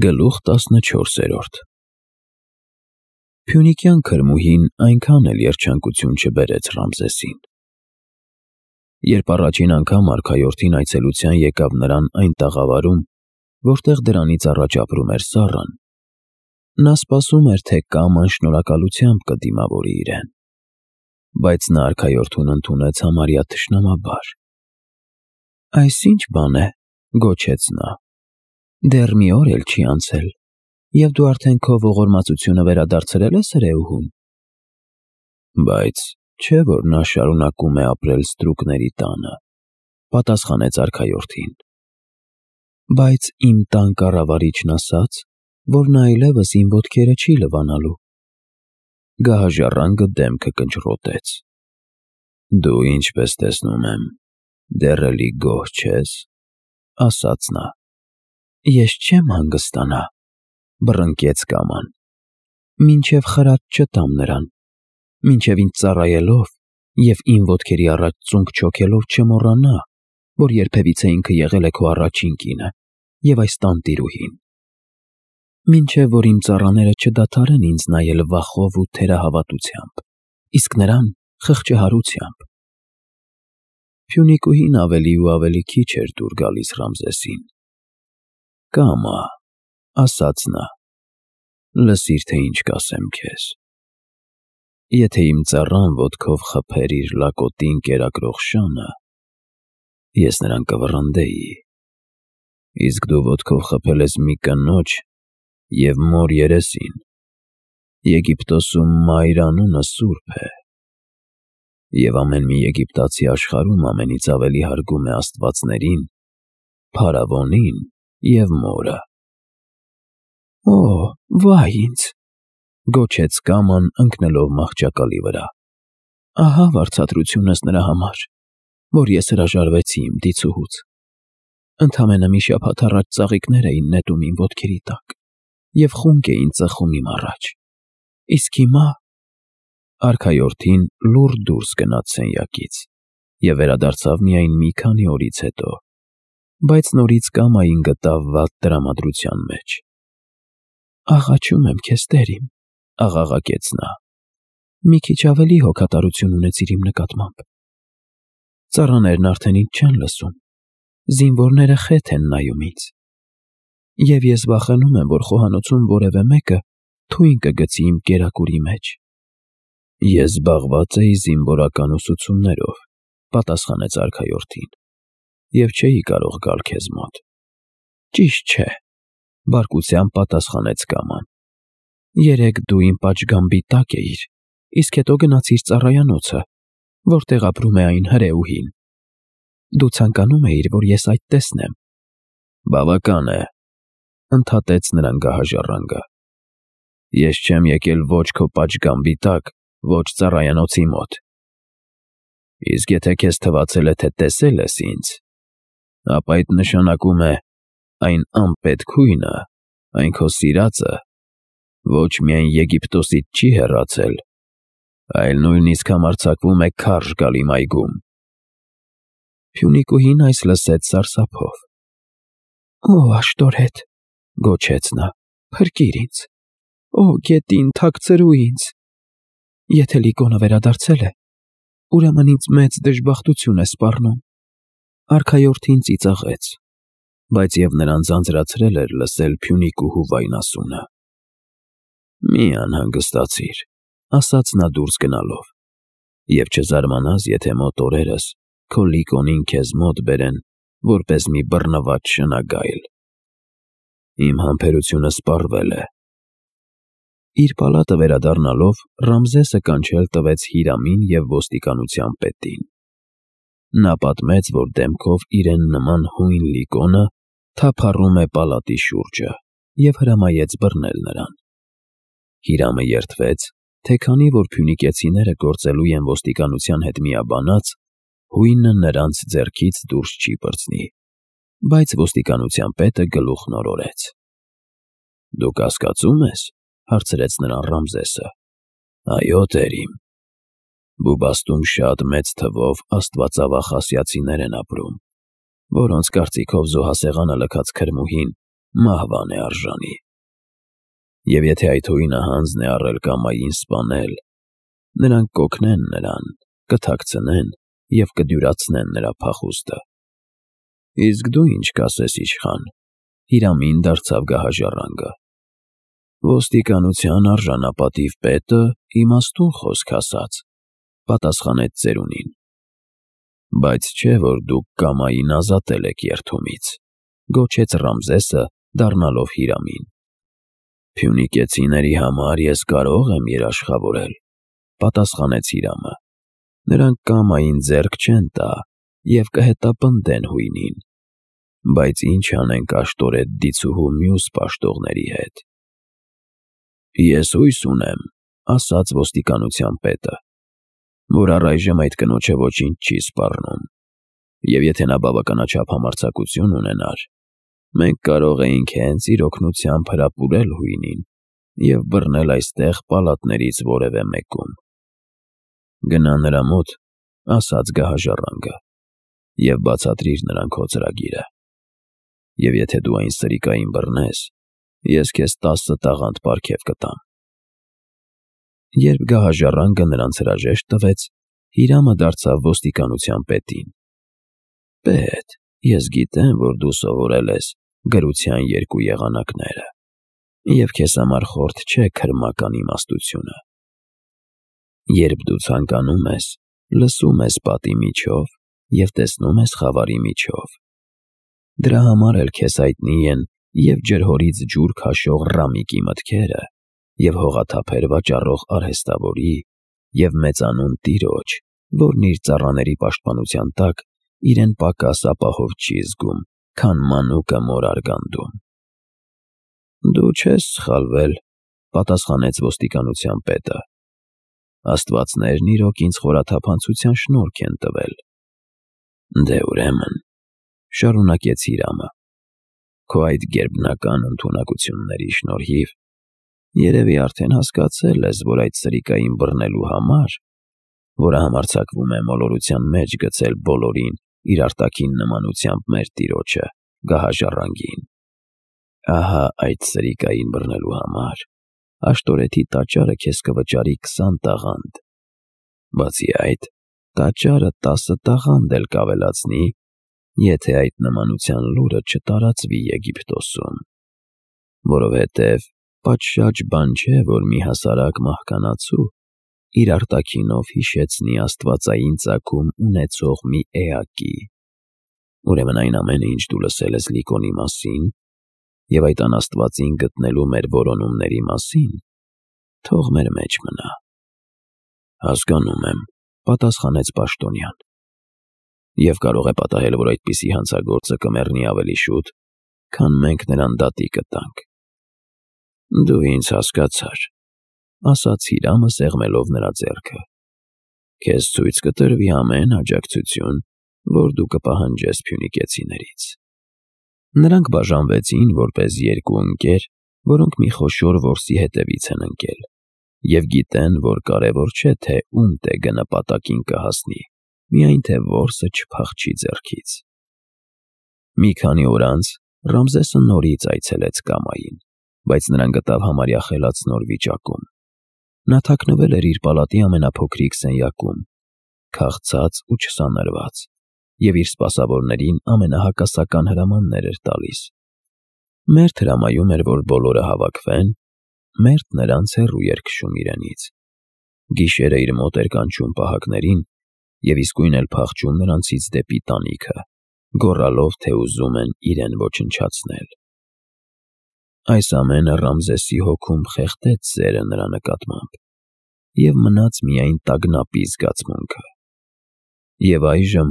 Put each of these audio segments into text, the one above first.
Գլուխ 14 Փյունիկյան քրմուհին այնքան էլ երջանկություն չբերեց Ռամզեսին։ Երբ առաջին անգամ արքայորդին այցելության եկավ նրան այն տաղավարում, որտեղ դրանից առաջ ապրում էր Սառան, նա սպասում էր, թե Կաման շնորհակալությամբ կդիմավորի իրեն, բայց նա արքայորդուն ընդունեց համարյա թշնամաբար։ «Այս ի՞նչ բան է,» գոչեց նա, «դեռ մի օր էլ չի անցել, և դու արդեն քո ողորմածությունը վերադարձրել ես հրեուհուն»։ «Բայց չէ՞ որ նա շարունակում է ապրել ստրուկների տանը,» պատասխանեց արքայորդին։ «Բայց իմ տան կառավարիչն ասաց, որ նա այլևս իմ ոտքերը չի լվանալու»։ Գահաժառանգը դեմքը կնճռոտեց։ «Դու, ինչպես տեսնում եմ, դեռ էլի գոհ չես,» ասաց նա։ «Ես չեմ հանգստանա,» բռնկեց Կաման, «մինչև խրատ չտամ նրան, մինչև ինձ ծառայելով և իմ ոտքերի առաջ ծունկ չոգելով չմոռանա, որ երբևիցե ինքը եղել է քո առաջին կինը և այս տանտիրուհին, մինչև որ իմ ծառաները չդադարեն ինձ նայել վախով ու թերահավատությամբ, իսկ նրան խղճահարությամբ»։ Փյունիկուհին ավելի ու ավելի քիչ էր դուր գալիս Ռամզեսին։ «Կամա,» ասաց նա, «լսիր, թե ինչ կասեմ քեզ։ Եթե իմ ծառան ոտքով խփեր իր լակոտին կերակրող շանը, ես նրան կվռնդեի, իսկ դու ոտքով խփել ես մի կնոջ և մոր երեսին։ Եգիպտոսում Մայր անունը սուրբ է, և ամեն մի եգիպտացի աշխարհում ամենից ավելի հարգում է աստվածներին, փարավոնին և մորը»։ «Օ, վայ ինձ,» գոչեց Կաման, ընկնելով մահճակալի վրա, «ահա վարձատրությունս նրա համար, որ ես հրաժարվեցի իմ դիցուհուց։ Ընդամենը մի շաբաթ առաջ ծաղիկներ էին նետում իմ ոտքերի տակ և խունկ էին ծխում իմ առաջ, իսկ հիմա…» Արքայորդին լուռ դուրս գնաց սենյակից և վերադարձավ միայն մի քանի օրից հետո, բայց նորից Կամային գտավ վատ տրամադրության մեջ։ «Աղաչում եմ քեզ, տեր իմ,» աղաղակեց նա, «մի քիչ ավելի հոգատարություն ունեցիր իմ նկատմամբ։ Ծառաներն արդեն ինձ չեն լսում, զինվորները խեթ են նայում ինձ, և ես վախենում եմ, որ խոհանոցում որևէ մեկը թույն կգցի իմ կերակուրի մեջ»։ «Ես զբաղված էի զինվորական ուսուցումներով,» պատասխանեց արքայորդին, «և չէի կարող գալ քեզ մոտ»։ «Ճիշտ չէ,» բարկությամբ պատասխանեց Կաման, «երեկ դու իմ պատշգամբի տակ էիր, իսկ հետո գնացիր ծառայանոցը, որտեղ ապրում է այն հրեուհին։ Դու ցանկանում էիր, որ ես այդ տեսնեմ»։ «Բավական է,» ընդհատեց նրան գահաժառանգը, «ես չեմ եկել ոչ քո պատշգամբի տակ, ոչ ծառայանոցի մոտ։ Իսկ եթե քեզ թվացել է, թե տեսել ես ինձ, ապա այդ նշանակում է այն անպետք հույնը, այն քո սիրածը, ոչ միայն Եգիպտոսից չի հեռացել, այլ նույնիսկ համարձակվում է քարշ գալ իմ այգում»։ Փյունիկուհին այս լսեց սարսափով։ «Օ աշտորետ,» գոչեց նա, «փրկիր ինձ, օ գետին թաքցրու ինձ։ Եթե Լիկոնը վերադարձել է, ուրեմն ինձ մեծ դժբախտություն է սպառնում»։ Արքայորդին ծիծաղեց, բայց և նրան ձանձրացրել էր լսել Փյունիկուհու վայնասունը։ «Մի անհանգստացիր,» ասաց նա դուրս գնալով, «և չզարմանաս, եթե մոտ օրերս քո Լիկոնին քեզ մոտ բերեն որպես մի բռնված շնագայլ։ Իմ համբերությունը սպառվել է»։ Իր պալատը վերադառնալով Ռամզեսը կանչել տվեց Հիրամին և ոստիկանության պետին։ Նա պատմեց, որ դեմքով իրեն նման հույն Լիկոնը թափառում է պալատի շուրջը և հրամայեց բռնել նրան։ Հիրամը երդվեց, թե քանի որ փյունիկեցիները գործելու են ոստիկանության հետ միաբանած, հույնը նրանց ձեռքից դուրս չի պրծնի, բայց ոստիկանության պետը գլուխն օրորեց։ «Դու կասկածում ես,» հարցրեց նրան Ռամզեսը։ «Այո, տեր իմ, Բուբաստում շատ մեծ թվով աստվածավախ ասիացիներ են ապրում, որոնց կարծիքով զոհասեղանը լքած քրմուհին մահվան է արժանի։ Եվ եթե այդ հույնը հանձն է առել Կամային սպանել, նրանք կօգնեն նրան, կթաքցնեն և կդյուրացնեն նրա փախուստը։ Իսկ դու ինչ կասես, իշխան, Հիրամին դարձավ գահաժառանգը։ Ոստիկանության արժանապատիվ պետը իմաստուն խոսք ասաց, պատասխանեց ծերունին։ Բայց չէ, որ դուք Կամային ազատել եք երդումից, գոչեց Ռամզեսը, դառնալով Հիրամին։ Փյունիկեցիների համար ես կարող եմ երաշխավորել, պատասխանեց Հիրամը։ Նրանք Կամային ձեռք չեն տա և կհետապնդեն հույնին, բայց ինչ անենք Աշտորետ դիցուհու մյուս պաշտողների հետ։ Ես հույս ունեմ, ասաց ոստիկանության պետը, որ առայժմ այդ կնոջը ոչինչ չի սպառնում, և եթե նա բավականաչափ համարձակություն ունենար, մենք կարող էինք հենց իր օգնությամբ հրապուրել հույնին և բռնել այստեղ պալատներից որևէ մեկում։ Գնա նրա մոտ, ասաց գահաժառանգը, և բացատրիր նրան քո ծրագիրը։ Եվ եթե դու այն սրիկային բռնես, ես քեզ 10 տաղանդ պարգև կտամ։ Երբ գահաժառանգը նրանց հրաժեշտ տվեց, Հիրամը դարձավ ոստիկանության պետին։ Պետ, ես գիտեմ, որ դու սովորել ես գրության երկու եղանակները, և քեզ համար խորտ չէ քրմական իմաստությունը։ Երբ դու ցանկանում ես, լսում ես պատի միջով և տեսնում ես խավարի միջով։ Դրա համար էլ քեզ հայտնի են և ջրհորից ջուր քաշող Ռամիկի մտքերը, և հողաթափեր վաճառող արհեստավորի, և մեծանուն տիրոջ, որն իր ծառաների պաշտպանության տակ իրեն պակաս ապահով չի զգում, քան մանուկը մոր արգանդում։ Դու չես սխալվել, պատասխանեց ոստիկանության պետը։ Աստվածներն իրոք ինձ խորաթափանցության շնորհք են տվել։ Դե ուրեմն, շարունակեց Հիրամը, քո այդ գերբնական ընդունակությունների շնորհիվ երևի արդեն հասկացել ես, որ այդ սրիկային բռնելու համար, որը համարձակվում է մոլորության մեջ գցել բոլորին իր արտաքին նմանությամբ մեր տիրոջը, գահաժառանգին, ահա այդ սրիկային բռնելու համար Աշտորեթի տաճարը քեզ կվճարի 20 տաղանդ։ Բացի այդ, տաճարը 10 տաղանդ էլ կավելացնի, եթե այդ նմանության լուրը չտարածվի Եգիպտոսում, որովհետև պատշաճ բան չէ, որ մի հասարակ մահկանացու իր արտաքինով հիշեցնի աստվածային ծագում ունեցող մի էակի։ Ուրեմն այն ամենը, ինչ դու լսել ես Լիկոնի մասին և այդ անաստվածին գտնելու մեր որոնումների մասին, թող մեր մեջ մնա։ Հասկանում եմ, պատասխանեց պաշտոնյան, և կարող է պատահել, որ այդպիսի հանցագործը կմեռնի ավելի շուտ, քան մենք նրան դատի կտանք։ Դու ինձ հասկացար, ասաց Հիրամը, սեղմելով նրա ձեռքը։ Քեզ ցույց կտրվի ամեն աջակցություն, որ դու կպահանջես փյունիկեցիներից։ Նրանք բաժանվեցին որպես երկու ընկեր, որոնք մի խոշոր որսի հետևից են ընկել, և գիտեն, որ կարևոր չէ, թե ում տեգը նպատակին կհասնի, միայն թե որսը չփախչի ձեռքից։ Մի քանի օր անց Ռամզեսը նորից այցելեց Կամային, բայց նրան գտավ համարյա խելացնոր վիճակում։ Նա թաքնվել էր իր պալատի ամենափոքրիկ սենյակում, քաղցած ու չսանրված, և իր սպասավորներին ամենահակասական հրամաններ էր տալիս։ Մերթ հրամայում էր, որ բոլորը հավաքվեն, մերթ նրանց հեռու էր քշում իրենից։ Գիշերը իր մոտ էր կանչում պահակներին և իսկույն էլ փախչում նրանցից դեպի տանիքը, գոռալով, թե ուզում են իրեն ոչնչացնել։ Այս ամենը Ռամզեսի հոգում խեղդեց սերը նրա նկատմամբ, և մնաց միայն տագնապի զգացմունքը։ Եվ այժմ,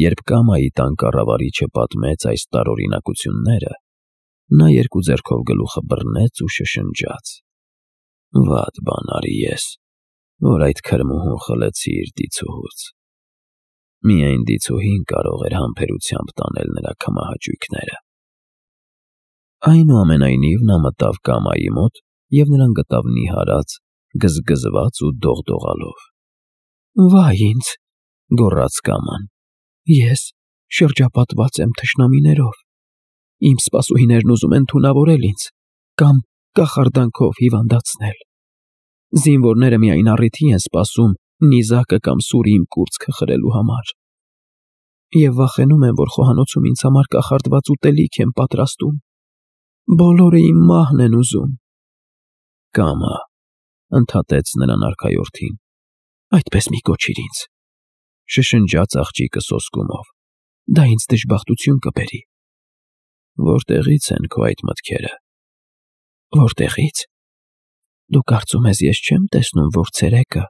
երբ Կամայի տան կառավարիչը պատմեց այս տարօրինակությունները, նա երկու ձեռքով գլուխը բռնեց ու շշնջաց. «Վատ բան արի ես, որ այդ քրմուհուն խլեցի իր դիցուհուց»։ Միայն դիցուհին կարող էր համբերությամբ տանել նրա քմահաճույքները։ Այնուամենայնիվ նա մտավ Կամայի մոտ և նրան գտավ նիհարած, գզգզված ու դողդողալով։ «Վայ ինձ», գոռաց Կաման, «ես շրջապատված եմ թշնամիներով»։ Իմ սպասուհիներն ուզում են թունավորել ինձ կամ կախարդանքով հիվանդացնել։ Զինվորները միայն առիթի են սպասում նիզակը կամ սուրի իմ կուրծքը խրելու համար։ Եվ վախենում եմ, որ խոհանոցում ինձ համար կախարդված ուտելիք են պատրաստում։ Բոլորը իմ մահն են ուզում։ Կամա, ընդհատեց նրան արքայորդին, այդպես մի կոչիր ինձ, շշնջաց աղջիկը սոսկումով, դա ինձ դժբախտություն կբերի։ Որտեղից են քո այդ մտքերը։ Որտեղից։ Դու կարծում ես ես չեմ տեսնում, որ ցերեկը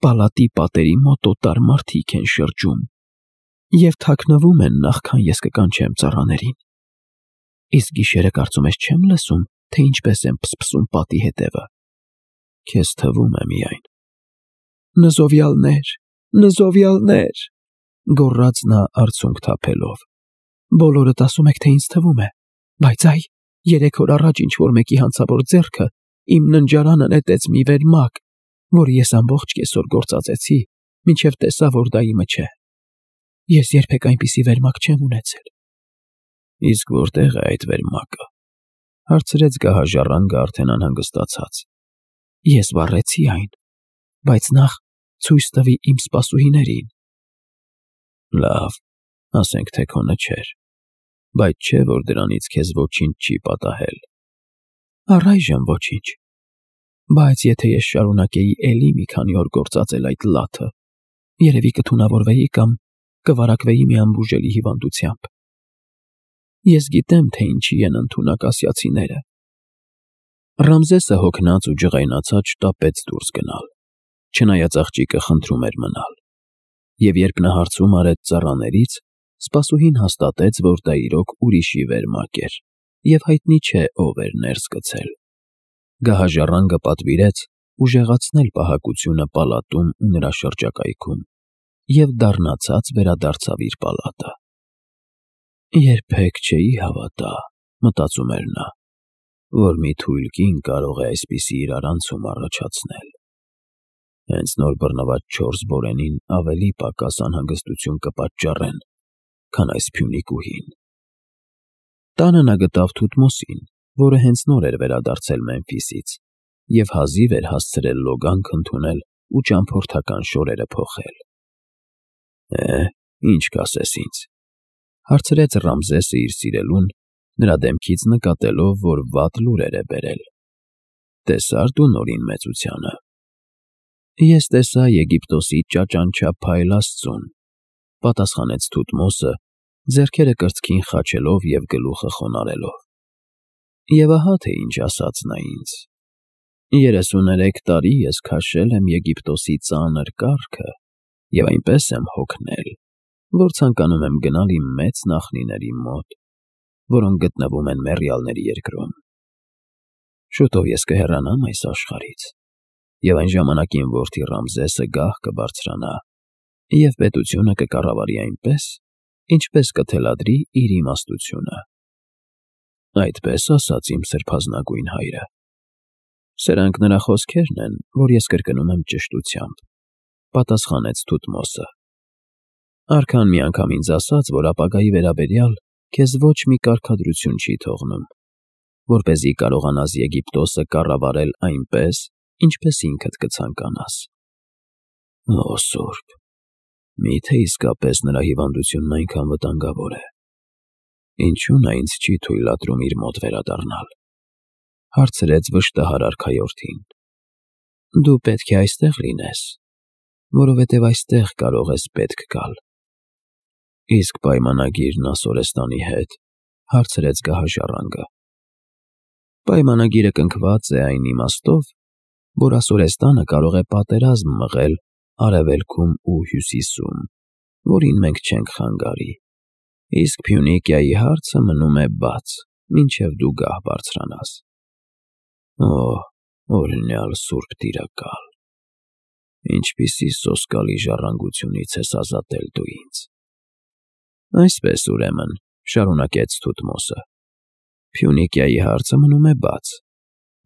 պալատի պատերի մոտ օտար մարդիկ են շրջում և թաքնվում են, նախքան ես կկանչեմ ծառաներին։ Իսկ գիշերը կարծում ես չեմ լսում, թե ինչպես են փսփսում պատի հետևը։ Քեզ թվում է միայն։ Նզովյալներ, նզովյալներ, գոռաց նա արցունք թափելով։ Բոլորդ ասում եք, թե ինձ թվում է, բայց այ 3 օր առաջ ինչ-որ մեկի հանցավոր ձեռքը իմ ննջարանը նետեց մի վերմակ, որը ես ամբողջ կեսօր գործածեցի, մինչև տեսա, որ դա իմը չէ։ Ես երբեք այնպիսի վերմակ չեմ ունեցել։ Իսկ որտեղ է այդ վերմակը։ Հարցրեց գահաժառանգը արդեն անհանգստացած։ Ես վառեցի այն, բայց նախ ցույց տվի իմ սպասուհիներին։ Լավ, ասենք թե քոնը չէր, բայց չէ, որ դրանից քեզ ոչինչ չի պատահել։ Առայժմ ոչինչ։ Բայց եթե ես շարունակեի էլի մի քանի օր գործածել այդ լաթը, երևի կթունավորվեի կամ կվարակվեի մի անբուժելի հիվանդությամբ։ Ես գիտեմ, թե ինչի են ընդունակ ասիացիները։ Ռամզեսը հոգնած ու ջղայնացած շտապեց դուրս գնալ, չնայած աղջիկը խնդրում էր մնալ։ Եվ երբ նա հարցում արեց ծառաներից, սպասուհին հաստատեց, որ դա իրոք ուրիշի վերմակ էր, և հայտնի չէ, ով էր ներս գցել։ Գահաժառանգը պատվիրեց ուժեղացնել պահակությունը պալատում ու նրա շրջակայքում և դառնացած վերադարձավ իր պալատը։ Երբեք չէի հավատա, մտածում էր նա, որ մի թույլ կին կարող է այսպիսի իրարանցում առաջացնել։ Հենց նոր բռնված 4 բորենին ավելի պակաս անհանգստություն կպատճառեն, քան այս Փյունիկուհին։ Տանը նա գտավ Թութմոսին, որը հենց նոր էր վերադարձել Մեմֆիսից և հազիվ էր հասցրել լոգանք ընդունել ու ճամփորդական շորերը փոխել։ Ինչ կասես ինձ, հարցրեց Ռամզեսը իր սիրելուն, նրա դեմքից նկատելով, որ վատ լուրեր է բերել։ Տեսա՞ր դու նորին մեծությանը։ Ես տեսա Եգիպտոսի ճաճանչափայլ աստծուն, պատասխանեց Թութմոսը, ձեռքերը կրծքին խաչելով և գլուխը խոնարհելով։ Եվ ահա թե ինչ ասաց նա ինձ. 33 տարի ես քաշել եմ Եգիպտոսի ծանր կառքը և այնպես եմ հոգնել, որ ցանկանում եմ գնալ իմ մեծ նախնիների մոտ, որոնք գտնվում են մեռյալների երկրում։ Շուտով ես կհեռանամ այս աշխարհից, և այն ժամանակ իմ որդի Ռամզեսը գահ կբարձրանա և պետությունը կկառավարի այնպես, ինչպես կթելադրի իր իմաստությունը։ Այդպես ասաց իմ սրբազնագույն հայրը։ Սրանք նրա խոսքերն են, որ ես կրկնում եմ ճշտությամբ, պատասխանեց Թութմոսը։ Արքան մի անգամ ինձ ասաց, որ ապագայի վերաբերյալ քեզ ոչ մի կարգադրություն չի թողնում, որպեսզի կարողանաս Եգիպտոսը կառավարել այնպես, ինչպես ինքդ կցանկանաս։ Օ Սուրբ, միթե իսկապես նրա հիվանդությունն այնքան վտանգավոր է։ Ինչու նա ինձ չի թույլատրում իր մոտ վերադառնալ, հարցրեց վշտահար արքայորդին։ Դու պետք է այստեղ լինես, որովհետև այստեղ կարող ես պետք գալ։ Իսկ պայմանագիրն Ասորեստանի հետ, հարցրեց գահաժառանգը։ Պայմանագիրը կնքված է այն իմաստով, որ Ասորեստանը կարող է պատերազմ մղել արևելքում ու հյուսիսում, որին մենք չենք խանգարի, իսկ Փյունիկիայի հարցը մնում է բաց, մինչև դու գահ բարձրանաս։ Օ, օրհնյալ Սուրբ Տիրակալ, ինչպիսի սոսկալի ժառանգությունից ես ազատել դու ինձ։ Այսպես ուրեմն, շարունակեց Թութմոսը, Փյունիկիայի հարցը մնում է բաց,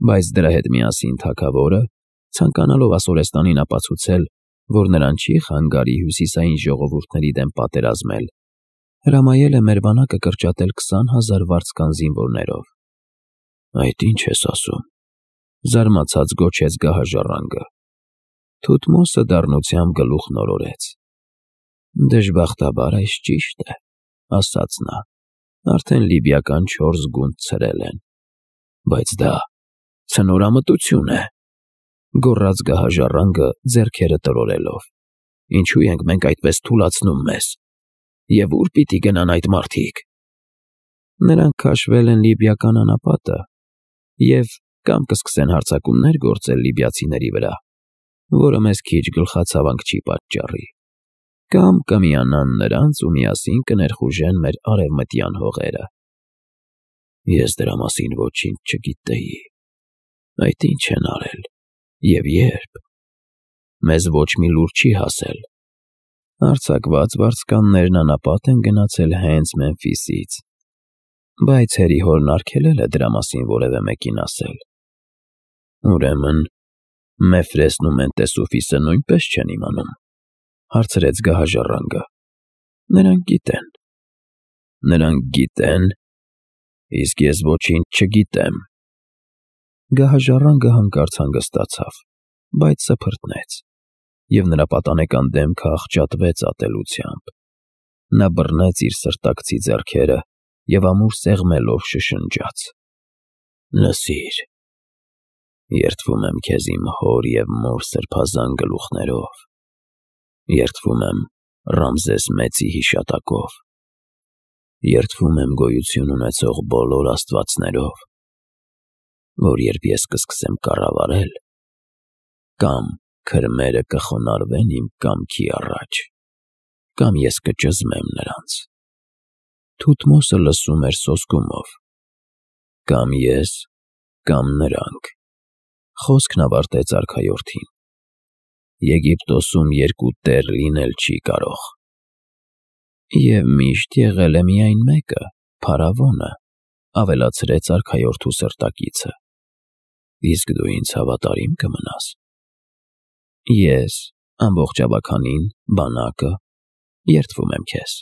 բայց դրա հետ միասին թագավորը, ցանկանալով Ասորեստանին ապացուցել, որ նրան չի խանգարի հյուսիսային ժողովուրդների դեմ պատերազմել, Հրամայել է մեր բանակը կրճատել 20,000 վարձկան զինվորներով։ Այդ ինչ ես ասում, զարմացած գոչեց գահաժառանգը։ Թութմոսը դառնությամբ գլուխ նորորեց։ Դժբախտաբար այս ճիշտ է, ասաց նա, արդեն լիբիական 4 գունդ ցրել են։ Բայց դա ցնորամտություն է, գոռաց գահաժառանգը ձեռքերը տրորելով։ Ինչու ենք մենք այդպես թուլացնում մեզ։ Եվ ուր պիտի գնան այդ մարդիկ։ Նրանք քաշվել են լիբիական անապատը և կամ կսկսեն հարձակումներ գործել լիբիացիների վրա, որը մեզ քիչ գլխացավանք չի պատճառի, կամ կմիանան նրանց ու միասին կներխուժեն մեր արևմտյան հողերը։ Ես դրա մասին ոչինչ չգիտեի։ Այդ ինչ են արել և երբ։ Մեզ ոչ մի լուր չի հասել։ Արձակված վարձկաններն անապատ են գնացել հենց Մեմֆիսից, բայց հերիհորն արգելել է դրա մասին որևէ մեկին ասել։ Ուրեմն Մեֆրեսն ու Մենտեսուֆիսը նույնպես չեն իմանում, հարցրեց գահաժառանգը։ Նրանք գիտեն։ Նրանք գիտեն, իսկ ես ոչինչ չգիտեմ։ Գահաժառանգը հանկարծ հանգստացավ, բայց սփռտնեց, և նրա պատանեկան դեմքը աղճատվեց ատելությամբ։ Նա բռնեց իր սրտակցի ձեռքերը և ամուր սեղմելով շշնջաց. Լսիր, երդվում եմ քեզ իմ հոր և մոր սրբազան գլուխներով, երդվում եմ Ռամզես Մեծի հիշատակով, երդվում եմ գոյություն ունեցող բոլոր աստվածներով, որ երբ ես կսկսեմ կառավարել, կամ քրմերը կխոնարհվեն իմ կամքի առաջ, կամ ես կճզմեմ նրանց։ Թութմոսը լսում էր սոսկումով. Կամ ես, կամ նրանք։ Խոսքն ավարտեց արքայորդին։ Եգիպտոսում երկու տեր լինել չի կարող։ Եվ միշտ եղել է միայն մեկը, փարավոնը, ավելացրեց արքայորդու սրտակիցը։ Իսկ դու ինձ հավատարի՞մ կմնաս։ Ես, ամբողջ ավագանին, բանակը, երդվում եմ քեզ։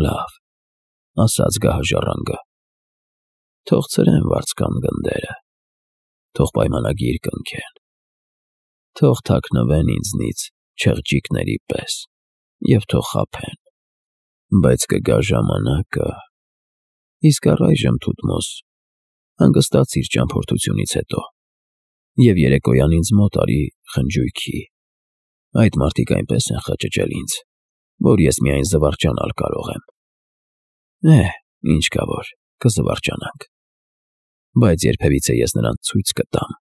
Լավ, ասաց գահաժառանգը։ Թող ցրեն վարձկան գնդերը, թող պայմանագիր կնքեն, թող թաքնվեն ինձնից չղջիկների պես և թող խաբեն, բայց կգա ժամանակը… Իսկ առայժմ, Թութմոս, հանգստացիր ճամփորդությունից հետո և երեկոյան ինձ մոտ արի խնջույքի։ Այդ մարդիկ այնպես են խճճել ինձ, որ ես միայն զվարճանալ կարող եմ։ Ինչ կա որ, կզվարճանանք, բայց երբևիցե ես նրանց ցույց կտամ,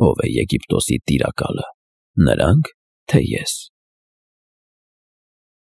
ով է Եգիպտոսի տիրակալը, նրանք, թե ես։